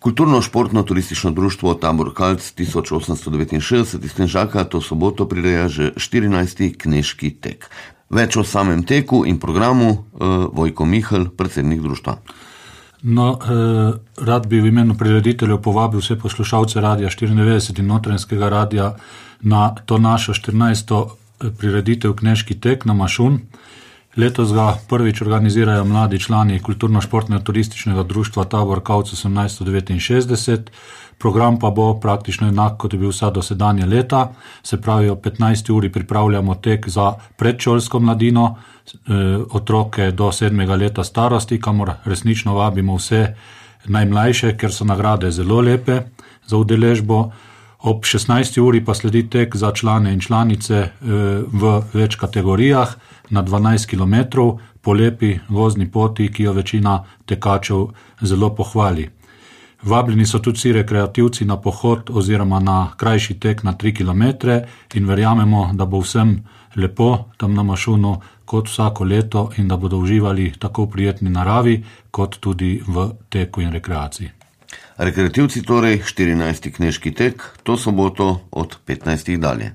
Kulturno-športno-turistično društvo Tabor Kalc 1869 iz Tenžaka to soboto prireja že 14. knežki tek. Več o samem teku in programu Vojko Mihelj, predsednik društva. Rad bi v imenu prirediteljev povabil vse poslušalce Radia 94 in Notranjskega radia na to našo 14. prireditev Knežki tek na Mašun. Letos ga prvič organizirajo mladi člani Kulturno-športno-turističnega društva Tabor Kalc 1869. Program pa bo praktično enak, kot je bil vsa dosedanja leta. Se pravi, o 15. uri pripravljamo tek za predšolsko mladino, otroke do 7. leta starosti, kamor resnično vabimo vse najmlajše, ker so nagrade zelo lepe za udeležbo. Ob 16. uri pa sledi tek za člane in članice v več kategorijah na 12 km po lepi gozdni poti, ki jo večina tekačev zelo pohvali. Vabljeni so tudi vsi rekreativci na pohod oziroma na krajši tek na 3 km in verjamemo, da bo vsem lepo tam na Mašunu kot vsako leto in da bodo uživali tako v prijetni naravi kot tudi v teku in rekreaciji. Rekreativci torej 14. knežki tek, to soboto od 15. dalje.